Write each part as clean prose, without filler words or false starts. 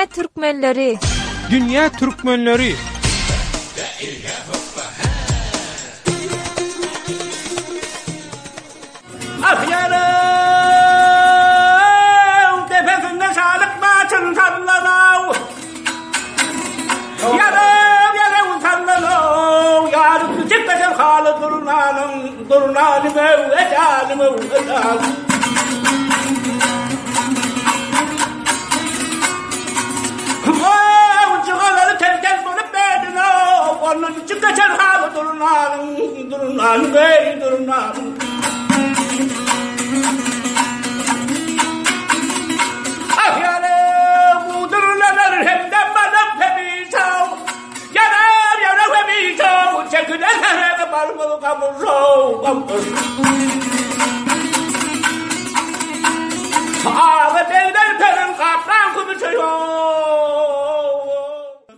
Dünýä türkmenleri! Dünýä türkmenleri! Ah ýarew depesinde şalyk başyn sallanaw Ýarew ýarew sallanaw Ýar üstü çekmesen haly durnanyň Durnanyň öw ejanym öw ejanym Ow jygalary tel-tel bolup berdinow Ondan içip geçen haly durnanyň Durnanyň eý durnanyň Ah ýare bu durnalar hem-de balam hemişe Ýarar ýara hemişe Çekilen herege barmaz gamyşow gamyş Aga begler perin gaplan kümüşe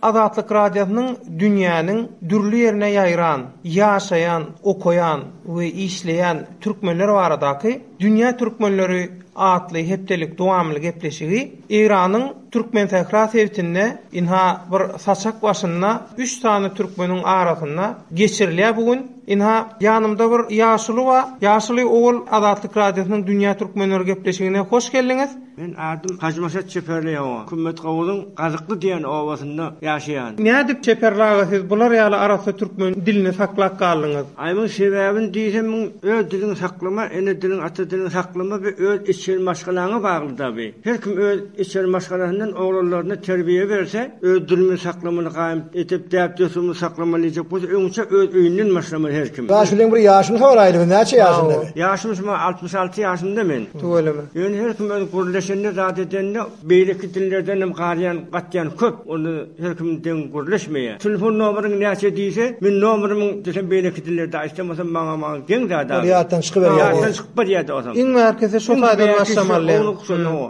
Azatlyk Radiosynyň dünýäniň dürli ýerine ýaýran, ýaşaýan, okaýan we işleýän türkmenler baradaky Dünýä türkmenleri atly hepdelik dowamly gepleşigi Eýranyň Türkmensähra sebitinde ynha bir saçak başynda üç sany türkmeniň arasynda geçirilýär bu gün. Ynha ýanymda bir ýaşuly bar. Ýaşuly ogul Azatlyk Radiosynyň Dünýä türkmenleri gepleşigine hoş geldiňiz. Men adym Hajymaşat Çeperli oba, Kümmetgowuzyň Gazykly diýen obasynda ýaşaýan. Nädip Çeperli aga siz bular ýaly arassa türkmen dilini saklap galdyňyz? Aýmyň sebäbini diýsem muň öz diliňi saklama, ene diliňi ata diliňi saklama bi öz içeri maşgalaňa bagly da bi. Her kim öz içeri maşgalasyndan oglanlaryna terbiýe berse, öz dilimizi saklamaly gaýym edip däp-dessurymyzy saklamaly diýjek bolsa öňçe öz öýünden başlamaly her kim. Ýaşulyň bir ýaşyny soraýly biz näçe ýaşynda bi? Ýaşym şuma 66 ýaşymda men. Tüweleme. Ýöne her kim öz gürleşende zat edende beýleki dillerden hem garýan gatýan köp onda her kim deň gürleşmeýär. Telefon nomeriň näçe diýse men nomerimiň desem beýleki dillerde aýtsam bolsam maňa maňa geň zat Ol ýatdan çykyberýär. Ýatdan çykyp barýar osam. Iň bärkisi şo taýdan başlamaly.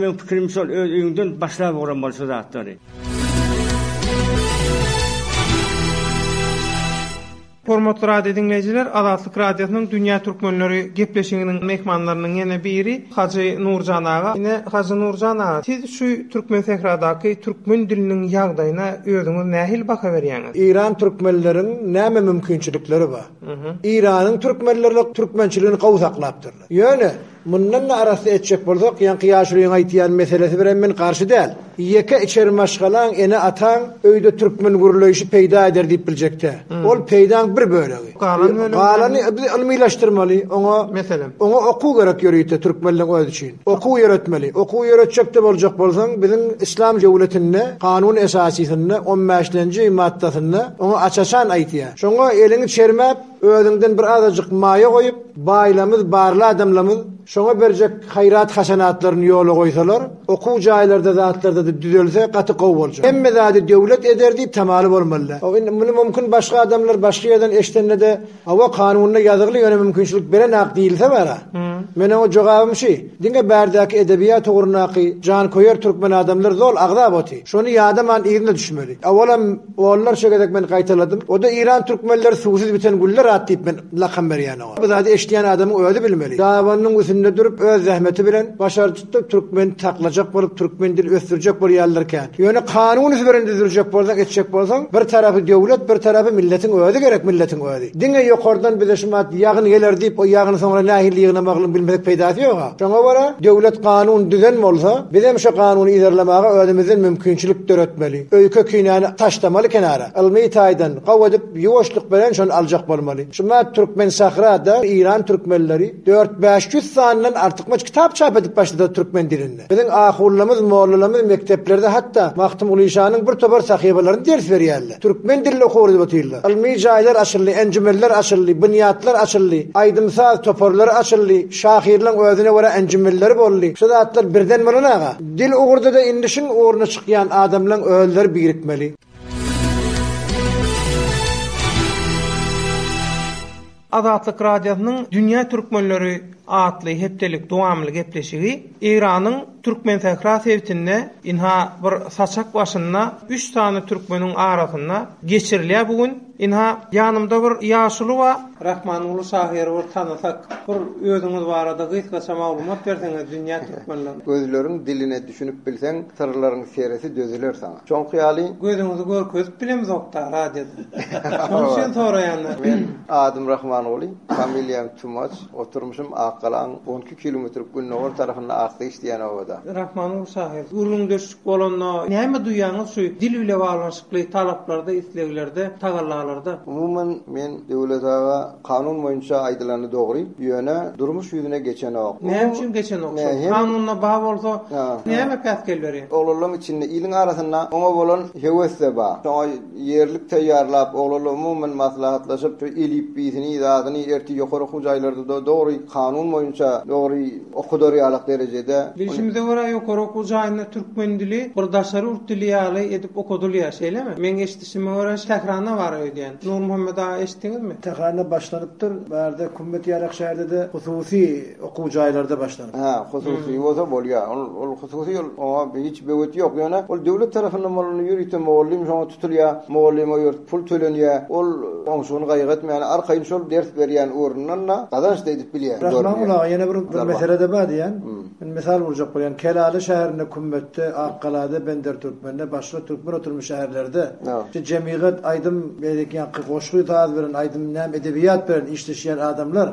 Meň pikirim şol öz öýüňden başlap ugramaly şu zatlary. Hormatly radio diňleýjiler, Azatlyk Radiosynyň Dünýä Türkmenleri gepleşiginiň myhmanlarynyň ýene biri Hajy Nurjan aga. Ine, Hajy Nurjan aga, siz şu Türkmensähradaky türkmen diliniň ýagdaýyna özüňiz nähili baha berýäňiz? Eýran türkmenleriň näme mümkinçilikleri bar? Eýranyň türkmenleri türkmençiligini gowy saklapdyrlar. Ýöne Mundan-da arassa etjek bolsak, ýaňky ýaşulyň aýtýan meselesi birem men garşy däl. Ýeke içeri maşgalaň, ene-ataň öýde türkmen gürleýşi peýda eder diýip biljek-dä. Ol peýdaň bir bölegi. Galan bölegi näme? Galany biz ylmylaşdyrmaly, oňa Meselem? Oňa okuw gerek ýörite türkmenleň özi üçin. Okuw ýöretmeli. Okuw ýöretjek-de boljak bolsaň, biziň yslam döwletinde, kanun esasysynda, on bäşlenji maddasynda oňa aç-açan aýtýar. Şoňa eliňi çermäp, Özüňden bir azajyk maýa goýup, baýlamyz, barly adamlamyz şoňa berjek haýrat-hasenatlaryny ýola goýsalar, okuw jaýlarda zatlarda-da düzelse gaty gowy boljak. Hemme zady döwlet eder diýip tamaly bolmaly däl. Indi muny mümkin başga adamlar başga ýerden eşidende-de, hawa kanunda ýazygly ýöne mümkinçilik berenak diýilse bar-a. Men oňa jogabym şi, diňe bärdäki edebiýat ugrundaky janköýer türkmen adamlar zol agzap oty. Şony ýadaman yzyna düşmeli. Owalam Onlarça gezek men gaýtaladym. O-da Eýran türkmenleri suwsuz biten güller at diýip men lakam berýän oňa. Bu zady eşidýän adamyň özi bilmeli. Dabanynyň üstünde durup öz zähmeti bilen başarjykda türkmeni saklajak bolup türkmen dili ösdürjek bolýanlar kän. Ýöne kanun üzberen düzdürjek bolsaň etjek bolsaň bir tarapy döwlet bir tarapy milletiň özi gerek milletiň özi. Diňe ýokardan bize şumat ýagyn geler diýip o ýagyny soňra nähili ýygnamagyny bilmesek peýdasy ýoga. Şoňa görä döwlet kanun düzen bolsa bizem şo kanuny yzarlamaga özümizden mümkinçilik döretmeli. Öýke-kinäni taşlamaly kenara. Ylmy taýdan gowy edip ýuwaşlyk bilen şony aljak bolmaly. Şumat Türkmensahrada Eýran türkmenleri dört-bäş ýüz sandan artykmaç kitap çap edip başladylar türkmen dilinde. Biziň ahunlamyz, mollalamyz mekdeplerde hatda Magtymgulyşanyň bir topar sahypalaryny ders berýärler. Türkmen dilinde okuw edip otyrlar. Ylmy jaýlar açyldy, enjümenler açyldy, binýatlar açyldy, aýdym-saz toparlary açyldy, şahyrlaň özüne görä enjümenleri boldy. Şu zatlar birden bolan aga. Dil ugurda-da indi şuň ugruna çykýan adamlaň özleri birikmeli. Azatlyk Radiosynyň Dünýä türkmenleri atly hepdelik dowamly gepleşigi Eýranyň Türkmensähra sebitinde ynha bir saçak başynda üç sany türkmeniň arasynda geçirilýär bu gün. Ynha, ýanymda bir ýaşuly bar. Rahmanguly şahyry bir tanasak, bir özüňiz barada gysgaça maglumat berseňiz dünýä türkmenlerine. Gözleriň diline düşünip bilseň, syrlaryň seresi dözüler saňa. Şoňky ýaly. Gözüňizi görkezip bilemzokda radioda. Şonuň üçin soraýan-da. Men adym Rahmanguly, familiýam Tumaç, oturmyşym Akgalaň 12 kilometr gündogar tarapynda Akgyş diýen obada. Rahmanguly şahyr, gürrüňdeşlik bolanda näme duýýaňyz şu dil bile baglanyşykly talaplarda, isleglerde, tagallalarda? Umuman, men Döwlet aga kanun boýunça aýdylany dogry, ýöne durmuş ýüzüne geçenok. Näme üçin geçenok şol? Kanunda bar bolsa näme päsgel berýär? Oglanlaryň içinde, iliň arasynda oňa bolan höwes-de bar. Şoňa ýerlik taýýarlap, oglanlar umuman maslahatlaşyp, şu elipbiýsini, zadyny ertir ýokary okuw jaýlarda-da dogry kanun boýunça dogry okudar ýalak derejede. Bilşimize görä, ýokary okuw jaýynda türkmen dili bir daşary ýurt dili ýaly edip okadylýar, şeýlemi? Meň eşidişime görä, Tähranda bar öýdýän. Nurmuhammet aga eşitdiňizmi? Tähranda başlanypdyr. Bärde Kümmet ýalak şäherde-de hususy okuw jaýlarda başlanypdyr. Hä, hususy bolsa bolýar. Ol ol hususy ol oňa hiç böwet ýok. Ýöne ol döwlet tarapyndan bolanda ýörite mugallym şoňa tutulýar. Mugallyma ýörite pul tölenýär. Ol oňşugyny gaýgy etmän arkaýyn şol ders berýän ugrundan-da gazanç-da edip bilýär. Rahman aga ýene bir bir mesele-de bar diýýän. Men mysal urjak bolýan. Kelale şäherinde Kümmetde, Akgalada, Bendertürkmende, başga türkmen oturymly şäherlerde şu jemygat aýdym beýleki ýaňky goşgy saz bilen aýdym näme edebiýat bilen işleşýän adamlar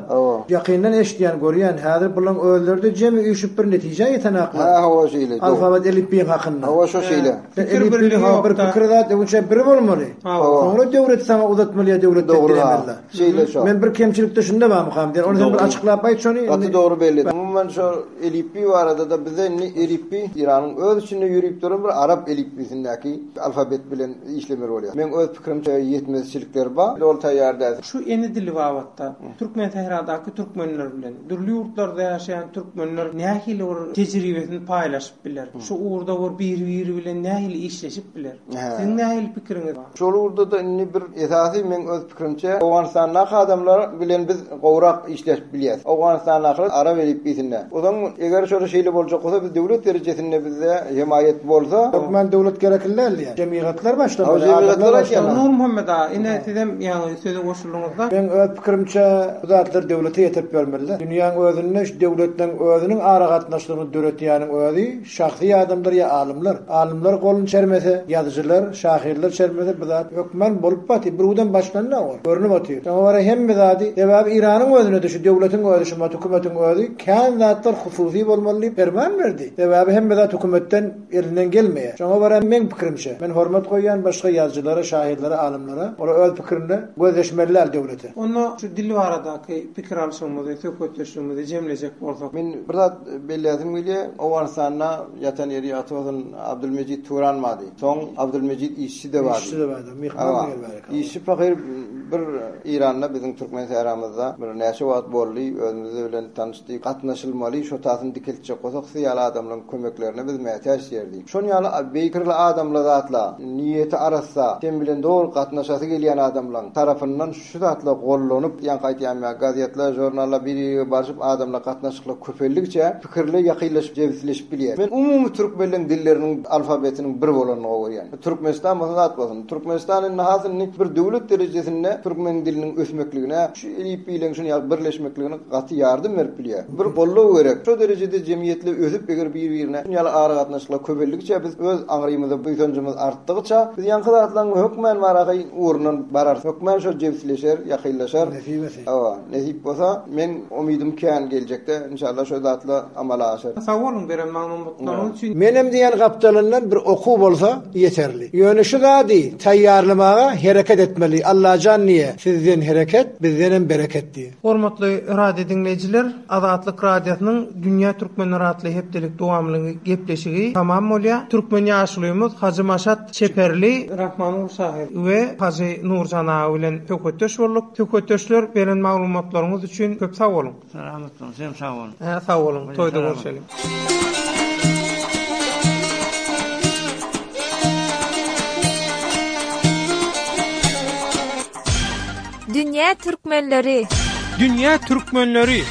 ýakyndan eşidýän görýän häzir bulaň özleride jemi üýşüp bir netijä ýetenaklar. Hä hawa şeýle dogry. Alfabet elipbiýiň hakynda. Hawa şo şeýle. Pikir birligi ýok bir pikir zat öňçä bir bolmaly. Soňra döwlet saňa uzatmaly ýa döwletden dilemeli. Şeýle şo. Men bir kemçilikde şunda barmykam diýen. Ony sen bir açyklap aýt şony. Gaty dogry belli. Umuman şo elipbiý barada-da bizde indi elipbiý Eýranyň öz içinde ýörüp duran bir arap elipbiýsindäki alfabet bilen işlemeli bolýar. Meň öz pikirimçe ýetmezçilikler bar. Doly taýýar däl. Şu ene dili babatda Türkmensähradaky türkmenler bilen dürli ýurtlarda ýaşaýan türkmenler nähili bir tejribesini paýlaşyp biler? Şu ugurda bir biri-biri bilen nähili işleşip biler? Siziň nähili pikiriňiz bar? Şol ugurda-da indi bir esasy meň öz pikirimçe Owganystandaky adamlar bilen biz gowrak işleşip bilýäs. Owganystandakylar arap elipbiýsinde. Ozaň eger şol şeýle boljak bolsa biz döwlet derejesinde bizde hemaýat bolsa. Hökman döwlet gerekli däl diýýän. Jemygatlar başlamaly, adamlar başlamaly. Nurmuhammet aga, ine sizem ýaňy söze goşuldyňyzda. Meň öz pikirimçe bu zatlar döwlete ýetirip bermeli. Dünýäň özünde şu döwletleň özüniň aragatnaşlygyny döretýäniň özi Şahsy adamlar ýa alymlar. Alymlar goluny çermese, ýazyjylar, şahyrlar çermese bu zat hökman bolup batyr. Bir udan başlandy ol. Görnüp otyr. Şoňa görä hemme zady, sebäbi Iranyň özünede şu döwletiň özi, şumat hökümetiň özi kän zatlar hususy bolmaly diýip perman berdi. Sebäbi hemme zat hökümetden elinden gelmeýär. Şoňa görä meň pikirimçe, men hormat goýýan başga ýazyjylara, şahyrlara, alymlara, olar öz pikirinde gözleşmeli däl döwlete. Onda şu dil baradaky pikir alşygymyzy, söhbetdeşligimizi jemlejek bolsak. Men bir zat Belläsim gelýär, Owganystanda ýatan ýeri ýagty bolsun Abdulmejit Turan bardy. Soň Abdulmejit Işçi-de bardy. Işçi-de bardy. Myhman diýen bar eken. Işçi pahyr bir Eýranda biziň türkmen sähramyzda bir näçe wagt boldy, özümiz bilen tanyşdy. Gatnaşylmaly, şo tasyny dikeltjek bolsak siz ýaly adamlaryň kömeklerine biz mätäç diýerdi. Şon ýaly beýkirli adamla zatla, niýeti arassa, sen bilen dogry gatnaşasy gelýän adamlaň tarapyndan Şu zatlar gollanyp, ýaňky aýtýan ýaly, gazetler, žurnallar bir-birige barşyp, adamlar gatnaşyklar köpeldigiçe, pikirler ýakynlaşyp, jebisleşip bilýär. Men umumy türkmenleň dilleriniň alfabetiniň bir bolanyny gowy görýän. Türkmenistan bolsun, zat bolsun. Türkmenistan indi has indi bir döwlet derejesinde türkmen diliniň ösmekligine, şu elipbiýleň şuny ýaly birleşmekligine gaty ýardam berip bilýär. Bir goldaw gerek. Şo derejede jemgyýetler ösüp, eger bir-birine şuny ýaly aragatnaşyklar köpeldigiçe biz öz aňrymyza buýsanjymyz artdygyça, biz ýaňky zatlaryň hökmän baraky ugrundan bararys. Hökman şol jebisleşer, ýakynlaşar. Nesip etse. Hawa, nesip bolsa, meň umydym kän geljekde inşallah şo zatlar amala aşar. Sag boluň beren maglumatlaryňyz üçin. Menem diýen gapdalyndan bir okuw bolsa ýeterli. Ýöne şu zady taýýarlamaga hereket etmeli Allajan diýe sizden hereket bizdenem bereket diýe. Hormatly radio diňleýjiler, Azatlyk Radiosynyň Dünýä Türkmenleri atly hepdelik dowamly gepleşigi tamam bolýar. Türkmen ýaşulymyz Hajy Maşat Çeperli, Rahmanguly şahyr we Hajy Nurjan aga bilen söhbetdeş bolduk. Söhbetdeşler beren maglumatlaryňyz üçin köp sag boluň. Salamat boluň, sizem sag boluň. Hä, sag boluň, toýda görşeliň. Dünýä türkmenleri. Dünýä türkmenleri.